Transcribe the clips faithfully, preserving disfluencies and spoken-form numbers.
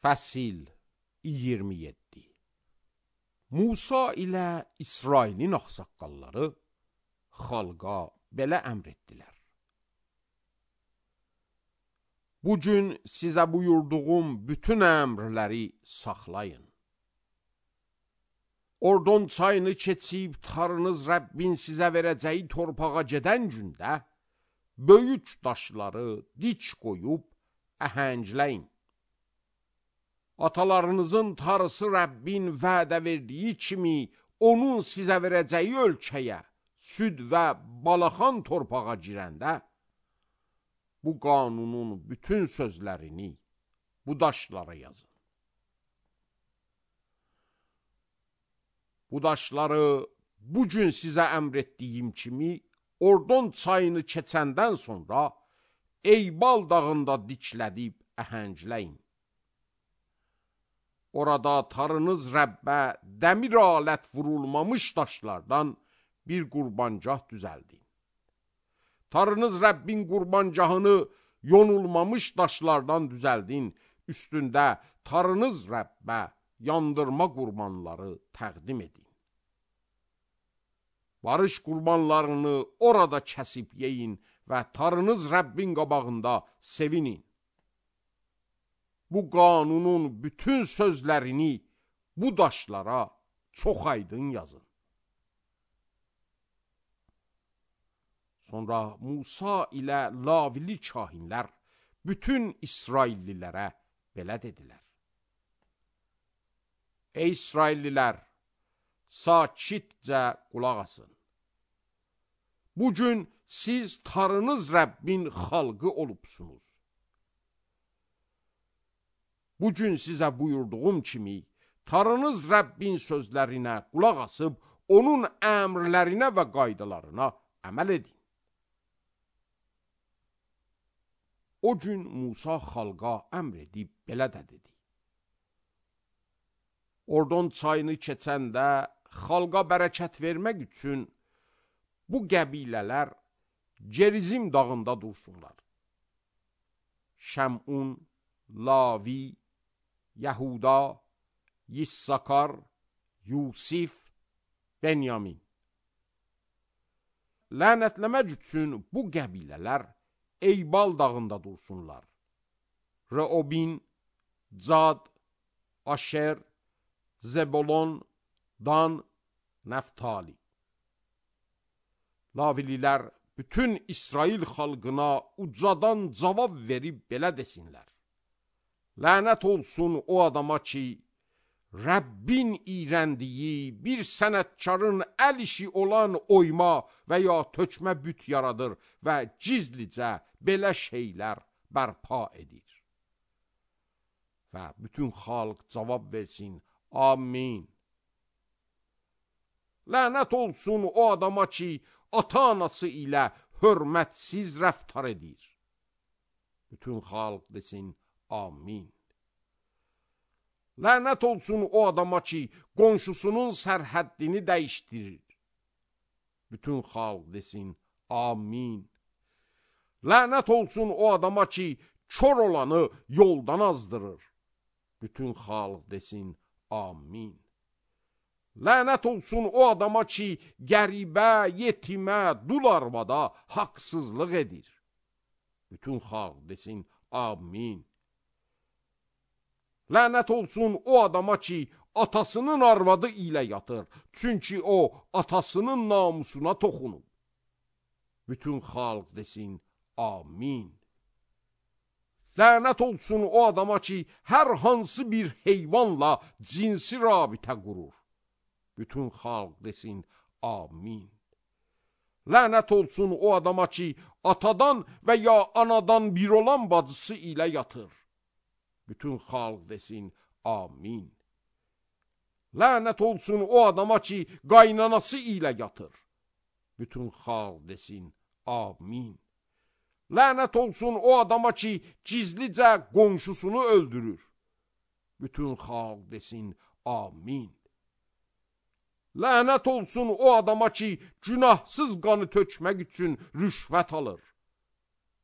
Fəsil iyirmi yeddi. Musa ilə İsrailin ağsaqqalları xalqa belə əmr etdilər. Bugün sizə buyurduğum bütün əmrləri saxlayın. Ordon çayını keçib tarınız Rəbbin sizə verəcəyi torpağa gedən gündə böyük daşları dik qoyub əhəngləyin. Atalarınızın tarısı Rəbbin vədə verdiyi kimi onun sizə verəcəyi ölkəyə, süd və balaxan torpağa girəndə bu qanunun bütün sözlərini bu daşlara yazın. Bu daşları bugün sizə əmr etdiyim kimi Ordon çayını keçəndən sonra Eybal dağında diklədib əhəngləyin. Orada tarınız Rəbbə dəmir alət vurulmamış daşlardan bir qurbancah düzəldin. Tarınız Rəbbin qurbancahını yonulmamış daşlardan düzəldin. Üstündə tarınız Rəbbə yandırma qurbanları təqdim edin. Barış qurbanlarını orada kəsib yeyin və tarınız Rəbbin qabağında sevinin. Bu qanunun bütün sözlərini bu daşlara çox aydın yazın. Sonra Musa ilə Lavili kahinlər bütün İsraillilərə belə dedilər. Ey İsraillilər, sakitcə qulaq asın. Bugün siz tarınız Rəbbin xalqı olubsunuz. Bugün sizə buyurduğum kimi tarınız Rəbbin sözlərinə qulaq asıb onun əmrlərinə və qaydalarına əməl edin. O gün Musa xalqa əmr edib belə də dedi. Ordon çayını keçəndə xalqa bərəkət vermək üçün bu qəbilələr Gerizim dağında dursunlar. Şəmun, Lavi, Yəhuda, Yissakar, Yusif, Benyamin. Lənətləmək üçün bu qəbilələr Eybal dağında dursunlar. Reobin, Cad, Aşer, Zebolon, Dan, Nəftali. Lavililər bütün İsrail xalqına ucadan cavab verib belə desinlər. Lənət olsun o adama ki, Rəbbin iyrəndiyi bir sənətkarın əl işi olan oyma və ya tökmə büt yaradır və gizlicə belə şeylər bərpa edir. Və bütün xalq cavab versin, amin. Lənət olsun o adama ki, ata-anası ilə hörmətsiz rəftar edir. Bütün xalq desin, amin. Lənət olsun o adama ki, qonşusunun sərhəddini dəyişdirir. Bütün xalq desin, amin. Lənət olsun o adama ki, kör olanı yoldan azdırır. Bütün xalq desin, amin. Lənət olsun o adama ki, qəribə, yetimə, dul arvada haqsızlıq edir. Bütün xalq desin, amin. Lənət olsun o adama ki, atasının arvadı ilə yatır, çünki o, atasının namusuna toxunub. Bütün xalq desin, amin. Lənət olsun o adama ki, hər hansı bir heyvanla cinsi rabitə qurur. Bütün xalq desin, amin. Lənət olsun o adama ki, atadan və ya anadan bir olan bacısı ilə yatır. Bütün xalq desin, amin. Lənət olsun o adama ki, qaynanası ilə yatır. Bütün xalq desin, amin. Lənət olsun o adama ki, gizlicə qonşusunu öldürür. Bütün xalq desin, amin. Lənət olsun o adama ki, günahsız qanı tökmək üçün rüşvət alır.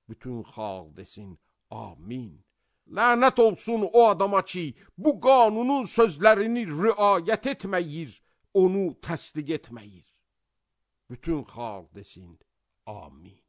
Bütün xalq desin, amin. Lənət olsun o adama ki, bu qanunun sözlərini riayət etməyir, onu təsdiq etməyir. Bütün xalq desin, amin.